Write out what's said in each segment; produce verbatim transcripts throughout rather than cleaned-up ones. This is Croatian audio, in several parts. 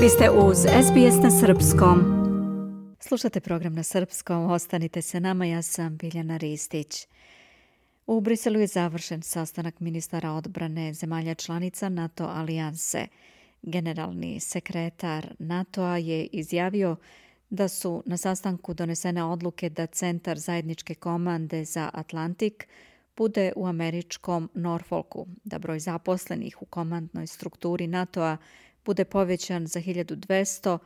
Vi ste uz es be es na srpskom. Slušate program na srpskom, ostanite se nama, ja sam Biljana Ristić. U Briselu je završen sastanak ministara odbrane zemalja članica NATO alijanse. Generalni sekretar NATO-a je izjavio da su na sastanku donesene odluke da Centar zajedničke komande za Atlantik bude u američkom Norfolku, da broj zaposlenih u komandnoj strukturi NATO-a bude povećan za hiljadu dvesta,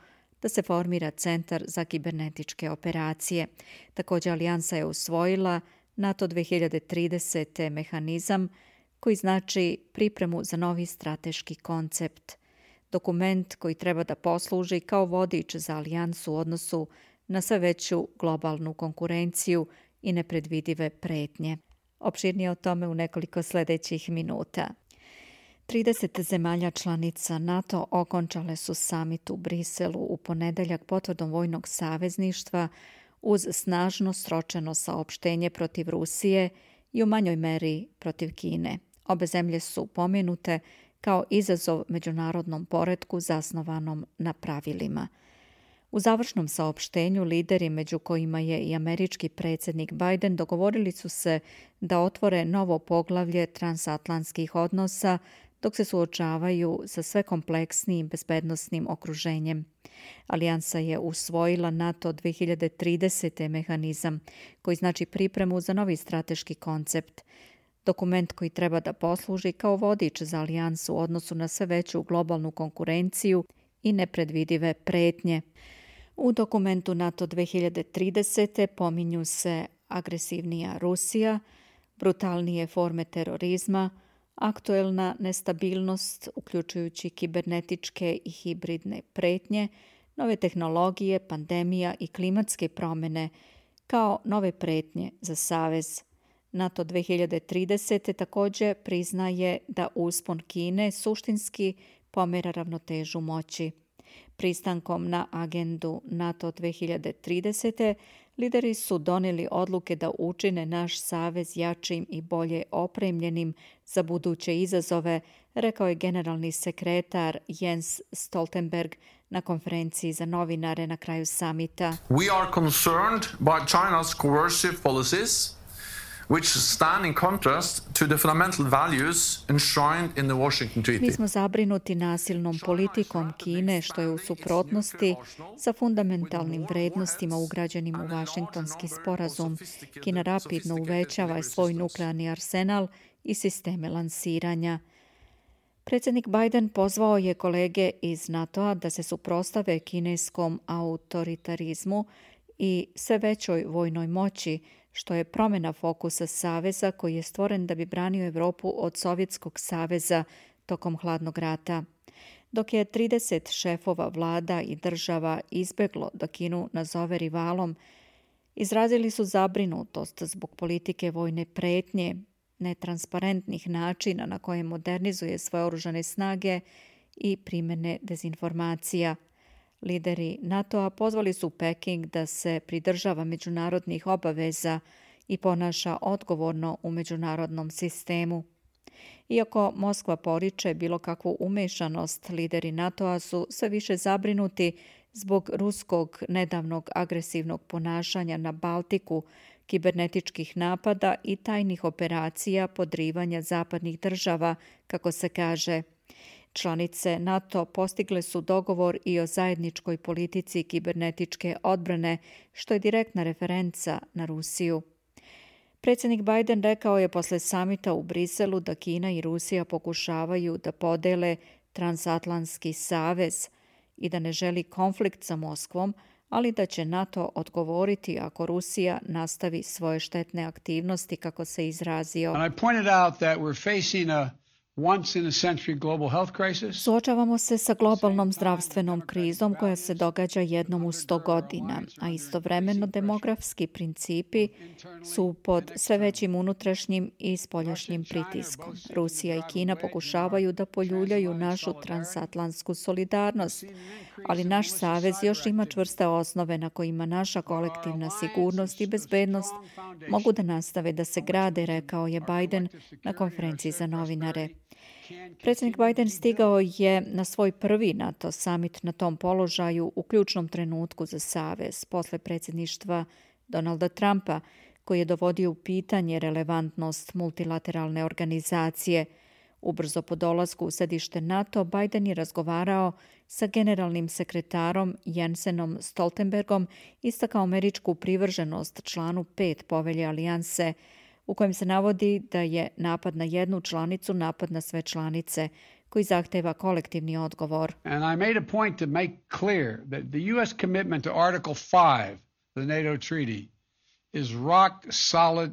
da se formira Centar za kibernetičke operacije. Također, alijansa je usvojila NATO dve hiljade tridesete mehanizam koji znači pripremu za novi strateški koncept. Dokument koji treba da posluži kao vodič za alijansu u odnosu na sve veću globalnu konkurenciju i nepredvidive pretnje. Opširnije o tome u nekoliko sljedećih minuta. trideset zemalja članica NATO okončale su samit u Briselu u ponedeljak potvrdom vojnog savezništva uz snažno sročeno saopštenje protiv Rusije i u manjoj meri protiv Kine. Obe zemlje su pomenute kao izazov međunarodnom poretku zasnovanom na pravilima. U završnom saopštenju lideri, među kojima je i američki predsjednik Biden, dogovorili su se da otvore novo poglavlje transatlantskih odnosa dok se suočavaju sa sve kompleksnijim bezbednosnim okruženjem. Alijansa je usvojila NATO dve hiljade tridesete mehanizam koji znači pripremu za novi strateški koncept. Dokument koji treba da posluži kao vodič za alijansu u odnosu na sve veću globalnu konkurenciju i nepredvidive pretnje. U dokumentu NATO dve hiljade tridesete pominju se agresivnija Rusija, brutalnije forme terorizma, aktuelna nestabilnost, uključujući kibernetičke i hibridne pretnje, nove tehnologije, pandemija i klimatske promjene, kao nove pretnje za savez. NATO dve hiljade tridesete također priznaje da uspon Kine suštinski pomera ravnotežu moći. Pristankom na agendu NATO dve hiljade tridesete lideri su donijeli odluke da učine naš savez jačim i bolje opremljenim za buduće izazove, rekao je generalni sekretar Jens Stoltenberg na konferenciji za novinare na kraju samita. We are concerned by China's coercive policies, which stand in contrast to the fundamental values enshrined in the Washington Treaty. Mi smo zabrinuti nasilnom politikom Kine, što je u suprotnosti sa fundamentalnim vrednostima ugrađenim u Vašingtonski sporazum. Kina rapidno uvećava svoj nuklearni arsenal i sisteme lansiranja. Predsjednik Biden pozvao je kolege iz NATO-a da se suprotstave kineskom autoritarizmu i sve većoj vojnoj moći, što je promjena fokusa saveza koji je stvoren da bi branio Europu od Sovjetskog saveza tokom hladnog rata. Dok je trideset šefova vlada i država izbjeglo da Kinu nazove rivalom, izrazili su zabrinutost zbog politike vojne pretnje, netransparentnih načina na koje modernizuje svoje oružane snage i primjene dezinformacija. Lideri NATO-a pozvali su Peking da se pridržava međunarodnih obaveza i ponaša odgovorno u međunarodnom sistemu. Iako Moskva poriče bilo kakvu umešanost, lideri NATO-a su sve više zabrinuti zbog ruskog nedavnog agresivnog ponašanja na Baltiku, kibernetičkih napada i tajnih operacija podrivanja zapadnih država, kako se kaže. Članice NATO postigle su dogovor i o zajedničkoj politici kibernetičke odbrane, što je direktna referenca na Rusiju. Predsjednik Biden rekao je posle samita u Briselu da Kina i Rusija pokušavaju da podele transatlantski savez i da ne želi konflikt sa Moskvom, ali da će NATO odgovoriti ako Rusija nastavi svoje štetne aktivnosti, kako se izrazio. And I pointed out that we're facing a once in a century global health crisis. Suočavamo se sa globalnom zdravstvenom krizom koja se događa jednom u sto godina, a istovremeno demografski principi su pod sve većim unutrašnjim i spoljašnjim pritiskom. Rusija i Kina pokušavaju da poljuljaju našu transatlantsku solidarnost, ali naš savez još ima čvrste osnove na kojima naša kolektivna sigurnost i bezbednost mogu da nastave da se grade, rekao je Biden na konferenciji za novinare. Predsjednik Biden stigao je na svoj prvi NATO summit na tom položaju u ključnom trenutku za savez posle predsjedništva Donalda Trumpa, koji je dovodio u pitanje relevantnost multilateralne organizacije. Ubrzo po dolasku u sedište NATO, Biden je razgovarao sa generalnim sekretarom Jensenom Stoltenbergom, istakao američku privrženost članu pet povelje alijanse, u kojem se navodi da je napad na jednu članicu napad na sve članice, koji zahteva kolektivni odgovor. And I made a point to make clear that the U S commitment to Article five, the NATO treaty, is rock solid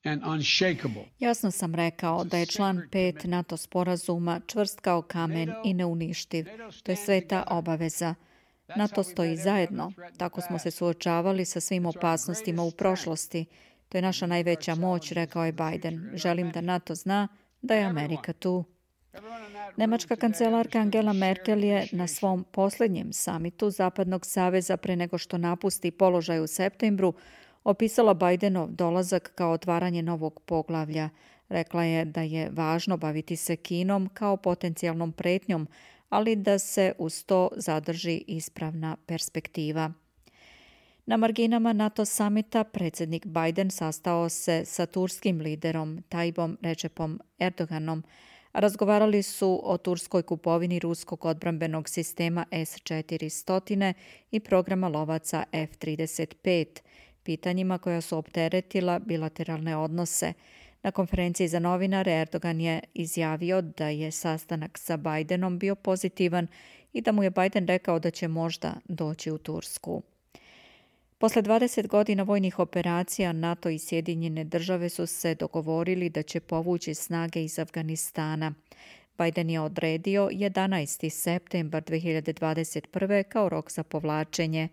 and unshakable. Jasno sam rekao da je član pet NATO sporazuma čvrst kao kamen i neuništiv. To je sveta obaveza. NATO stoji zajedno. Tako smo se suočavali sa svim opasnostima u prošlosti. To je naša najveća moć, rekao je Biden. Želim da NATO zna da je Amerika tu. Nemačka kancelarka Angela Merkel je na svom posljednjem samitu Zapadnog saveza pre nego što napusti položaj u septembru opisala Bidenov dolazak kao otvaranje novog poglavlja. Rekla je da je važno baviti se Kinom kao potencijalnom pretnjom, ali da se uz to zadrži ispravna perspektiva. Na marginama NATO samita predsjednik Biden sastao se sa turskim liderom Tayyipom Recepom Erdoganom. Razgovarali su o turskoj kupovini ruskog odbrambenog sistema S četiristo i programa lovaca F trideset pet, pitanjima koja su opteretila bilateralne odnose. Na konferenciji za novinare Erdogan je izjavio da je sastanak sa Bidenom bio pozitivan i da mu je Biden rekao da će možda doći u Tursku. Posle dvadeset godina vojnih operacija, NATO i Sjedinjene države su se dogovorili da će povući snage iz Afganistana. Biden je odredio jedanaesti septembar dve hiljade dvadeset prve kao rok za povlačenje.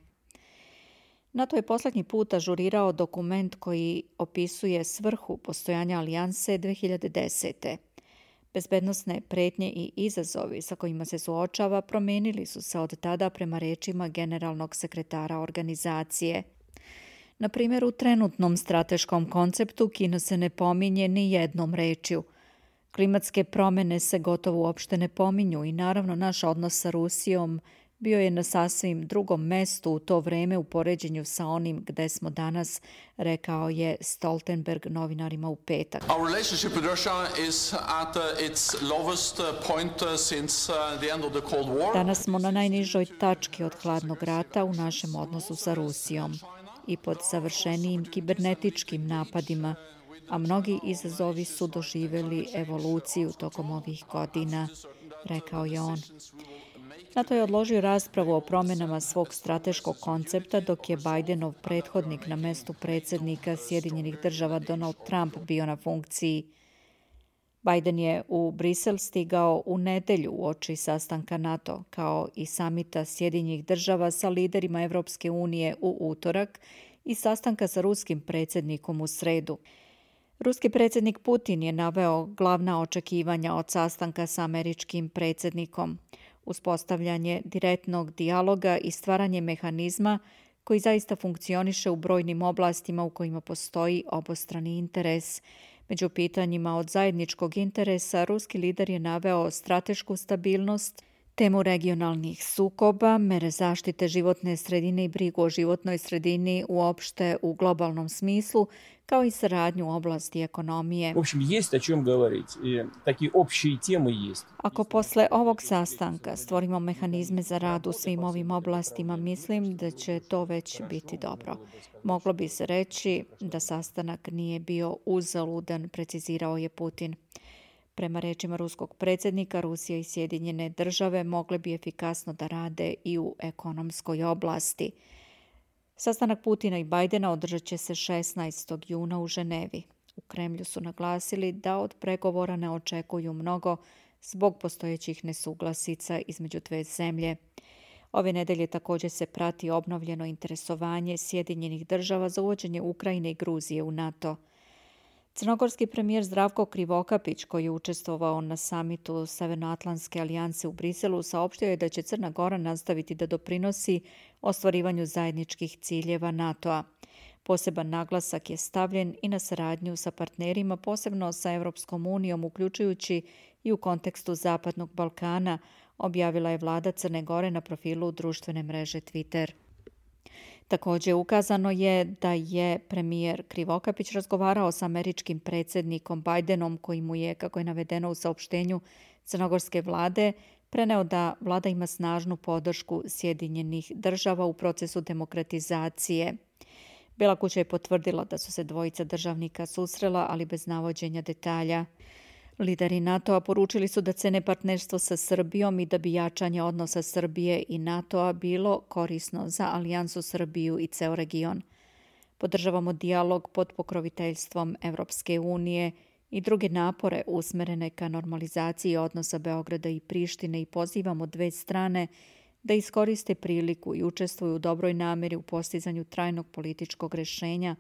NATO je posljednji put ažurirao dokument koji opisuje svrhu postojanja alijanse dve hiljade desete. Bezbednosne pretnje i izazovi sa kojima se suočava promenili su se od tada prema rečima generalnog sekretara organizacije. Na primjer, u trenutnom strateškom konceptu Kina se ne pominje ni jednom rečju. Klimatske promjene se gotovo uopšte ne pominju i naravno naš odnos sa Rusijom bio je na sasvim drugom mestu u to vreme u poređenju sa onim gde smo danas, rekao je Stoltenberg novinarima u petak. Our relationship with Russia is at uh, its lowest point uh, since uh, the end of the Cold War. Danas smo na najnižoj tački od hladnog rata u našem odnosu sa Rusijom i pod savršenijim kibernetičkim napadima, a mnogi izazovi su doživjeli evoluciju tokom ovih godina, rekao je on. NATO je odložio raspravu o promjenama svog strateškog koncepta dok je Bidenov prethodnik na mestu predsjednika Sjedinjenih država Donald Trump bio na funkciji. Biden je u Brisel stigao u nedelju uoči sastanka NATO, kao i samita Sjedinjenih država sa liderima Evropske unije u utorak i sastanka sa ruskim predsjednikom u sredu. Ruski predsjednik Putin je naveo glavna očekivanja od sastanka sa američkim predsjednikom. Uspostavljanje direktnog dijaloga i stvaranje mehanizma koji zaista funkcioniše u brojnim oblastima u kojima postoji obostrani interes. Među pitanjima od zajedničkog interesa ruski lider je naveo stratešku stabilnost, temu regionalnih sukoba, mere zaštite životne sredine i brigu o životnoj sredini uopšte u globalnom smislu, kao i saradnju u oblasti ekonomije. В общем, есть о чем говорить. И такие общие темы есть. Ako posle ovog sastanka stvorimo mehanizme za rad u svim ovim oblastima, mislim da će to već biti dobro. Moglo bi se reći da sastanak nije bio uzaludan, precizirao je Putin. Prema rečima ruskog predsjednika, Rusija i Sjedinjene države mogle bi efikasno da rade i u ekonomskoj oblasti. Sastanak Putina i Bidena održat će se šesnaestog juna u Ženevi. U Kremlju su naglasili da od pregovora ne očekuju mnogo zbog postojećih nesuglasica između dve zemlje. Ove nedelje također se prati obnovljeno interesovanje Sjedinjenih država za uvođenje Ukrajine i Gruzije u NATO. Crnogorski premijer Zdravko Krivokapić, koji je učestvovao na samitu Severnoatlantske alijanse u Briselu, saopštio je da će Crna Gora nastaviti da doprinosi ostvarivanju zajedničkih ciljeva NATO-a. Poseban naglasak je stavljen i na saradnju sa partnerima, posebno sa Evropskom unijom, uključujući i u kontekstu Zapadnog Balkana, objavila je vlada Crne Gore na profilu društvene mreže Twitter. Također ukazano je da je premijer Krivokapić razgovarao s američkim predsjednikom Bajdenom, koji mu je, kako je navedeno u saopštenju crnogorske vlade, preneo da vlada ima snažnu podršku Sjedinjenih država u procesu demokratizacije. Bela kuća je potvrdila da su se dvojica državnika susrela, ali bez navođenja detalja. Lideri NATO-a poručili su da cene partnerstvo sa Srbijom i da bi jačanje odnosa Srbije i NATO-a bilo korisno za Alijansu Srbiju i ceo region. Podržavamo dijalog pod pokroviteljstvom Evropske unije i druge napore usmerene ka normalizaciji odnosa Beograda i Prištine i pozivamo dve strane da iskoriste priliku i učestvuju u dobroj namjeri u postizanju trajnog političkog rješenja,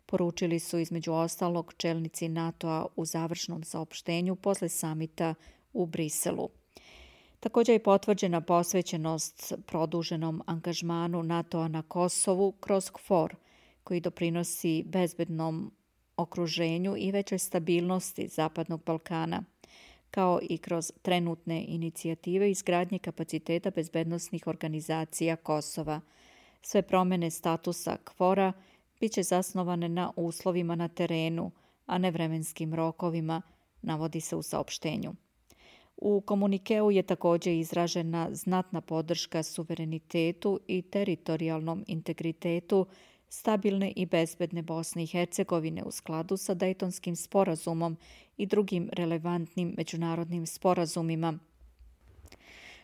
poručili su između ostalog čelnici NATO-a u završnom saopštenju posle samita u Briselu. Također je potvrđena posvećenost produženom angažmanu NATO-a na Kosovu kroz KFOR, koji doprinosi bezbednom okruženju i većoj stabilnosti Zapadnog Balkana, kao i kroz trenutne inicijative izgradnje kapaciteta bezbednosnih organizacija Kosova. Sve promjene statusa KFOR-a bit će zasnovane na uslovima na terenu, a ne vremenskim rokovima, navodi se u saopštenju. U komunikeu je također izražena znatna podrška suverenitetu i teritorijalnom integritetu stabilne i bezbedne Bosne i Hercegovine u skladu sa Dejtonskim sporazumom i drugim relevantnim međunarodnim sporazumima.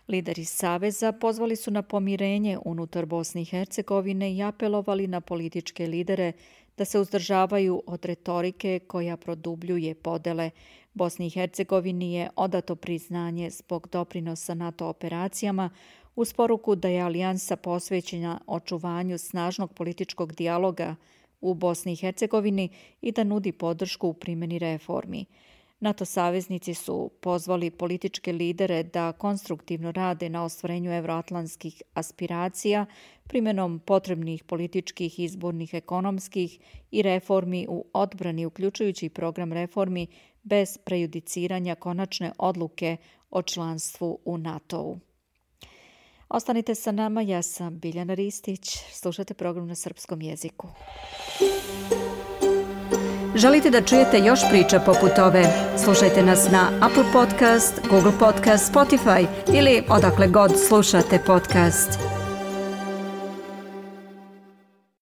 Lideri Saveza pozvali su na pomirenje unutar Bosne i Hercegovine i apelovali na političke lidere da se uzdržavaju od retorike koja produbljuje podele. Bosni i Hercegovini je odato priznanje zbog doprinosa NATO operacijama, uz poruku da je alijansa posvećena očuvanju snažnog političkog dijaloga u Bosni i Hercegovini i da nudi podršku u primjeni reformi. NATO saveznici su pozvali političke lidere da konstruktivno rade na ostvarenju evroatlantskih aspiracija primjenom potrebnih političkih, izbornih, ekonomskih i reformi u odbrani, uključujući program reformi bez prejudiciranja konačne odluke o članstvu u NATO-u. Ostanite sa nama, ja sam Biljana Ristić, slušate program na srpskom jeziku. Želite da čujete još priča poput ove? Slušajte nas na Apple Podcast, Google Podcast, Spotify ili odakle god slušate podcast.